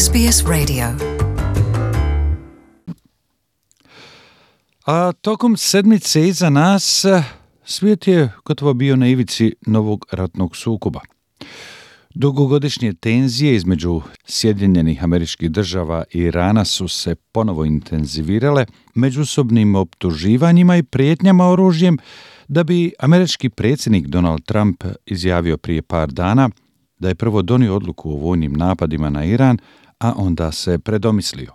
SBS Radio. A tokom sedmice iza nas svijet je gotovo bio na ivici novog ratnog sukoba. Dugogodišnje tenzije između Sjedinjenih Američkih Država i Irana su se ponovo intenzivirale međusobnim optuživanjima i prijetnjama oružjem, da bi američki predsjednik Donald Trump izjavio prije par dana da je prvo donio odluku o vojnim napadima na Iran, a onda se predomislio.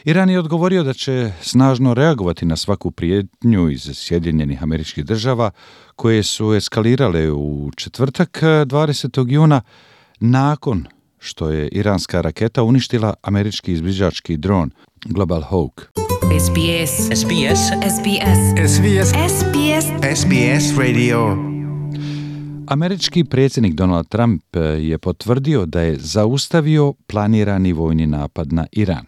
Iran je odgovorio da će snažno reagovati na svaku prijetnju iz Sjedinjenih Američkih Država koje su eskalirale u četvrtak 20. juna nakon što je iranska raketa uništila američki izviđački dron Global Hawk. SBS. SBS. SBS. SBS. SBS. SBS Radio. Američki predsjednik Donald Trump je potvrdio da je zaustavio planirani vojni napad na Iran.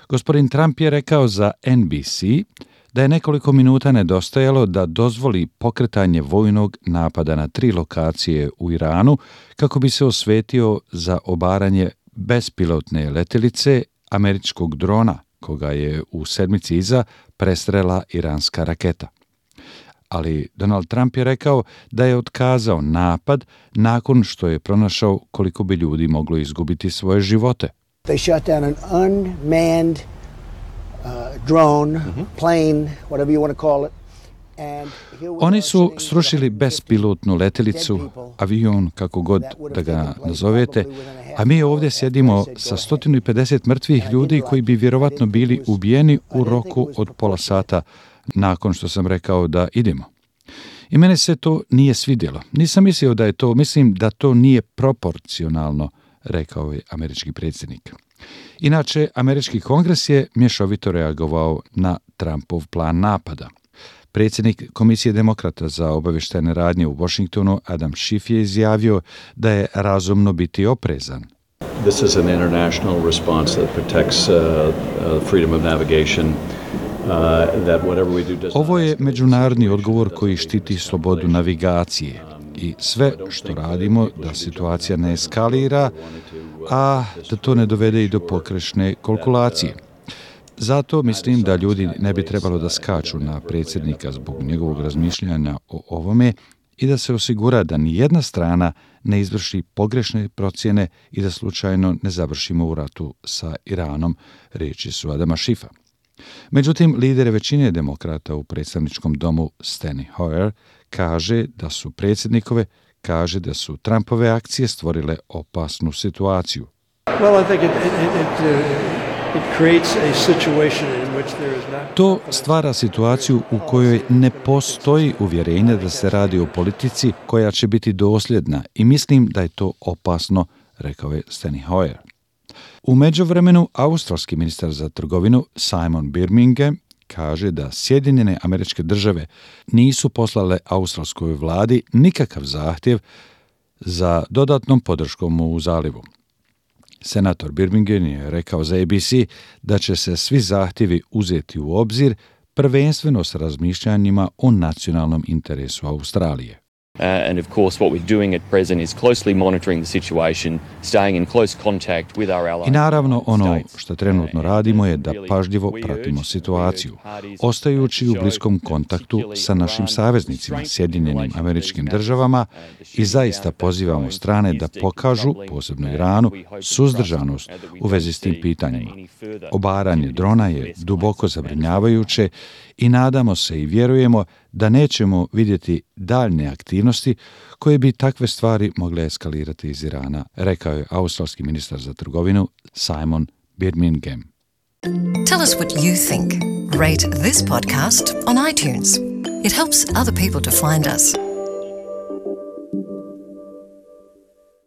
Gospodin Trump je rekao za NBC da je nekoliko minuta nedostajalo da dozvoli pokretanje vojnog napada na 3 lokacije u Iranu kako bi se osvetio za obaranje bespilotne letjelice američkog drona koga je u sedmici iza prestrela iranska raketa. Ali Donald Trump je rekao da je otkazao napad nakon što je pronašao koliko bi ljudi moglo izgubiti svoje živote. They shot down an unmanned drone, plane, whatever you want to call it. Oni su srušili bespilotnu letjelicu, avion, kako god da ga nazovete, a mi ovdje sjedimo sa 150 mrtvih ljudi koji bi vjerovatno bili ubijeni u roku od pola sata nakon što sam rekao da idemo. I mene se to nije svidjelo. Nisam mislio da je to, mislim da to nije proporcionalno, rekao je američki predsjednik. Inače, američki kongres je mješovito reagovao na Trumpov plan napada. Predsjednik Komisije demokrata za obavještajne radnje u Washingtonu, Adam Schiff, je izjavio da je razumno biti oprezan. This is an international response that protects freedom of navigation. Ovo je međunarodni odgovor koji štiti slobodu navigacije i sve što radimo da situacija ne eskalira, a da to ne dovede i do pogrešne kalkulacije. Zato mislim da ljudi ne bi trebalo da skaču na predsjednika zbog njegovog razmišljanja o ovome i da se osigura da ni jedna strana ne izvrši pogrešne procjene i da slučajno ne završimo u ratu sa Iranom, riječi su Adama Schiffa. Međutim, lider većine demokrata u predstavničkom domu Steny Hoyer kaže da su Trumpove akcije stvorile opasnu situaciju. To stvara situaciju u kojoj ne postoji uvjerenje da se radi o politici koja će biti dosljedna i mislim da je to opasno, rekao je Steny Hoyer. U međuvremenu, australski ministar za trgovinu Simon Birmingham kaže da Sjedinjene Američke Države nisu poslale australskoj vladi nikakav zahtjev za dodatnom podrškom u zalivu. Senator Birmingham je rekao za ABC da će se svi zahtjevi uzeti u obzir, prvenstveno s razmišljanjima o nacionalnom interesu Australije. And of course what we're doing at present is closely monitoring the situation, staying in close contact with our allies. I naravno ono što trenutno radimo je da pažljivo pratimo situaciju, ostajući u bliskom kontaktu sa našim saveznicima, Sjedinjenim Američkim Državama, i zaista pozivamo strane da pokažu, posebno Iranu, suzdržanost u vezi s tim pitanjima. Obaranje drona je duboko zabrinjavajuće i nadamo se i vjerujemo da nećemo vidjeti daljne aktivnosti koje bi takve stvari mogle eskalirati iz Irana, rekao je australski ministar za trgovinu Simon Birmingham. Tell us what you think. Rate this podcast on iTunes. It helps other people to find us.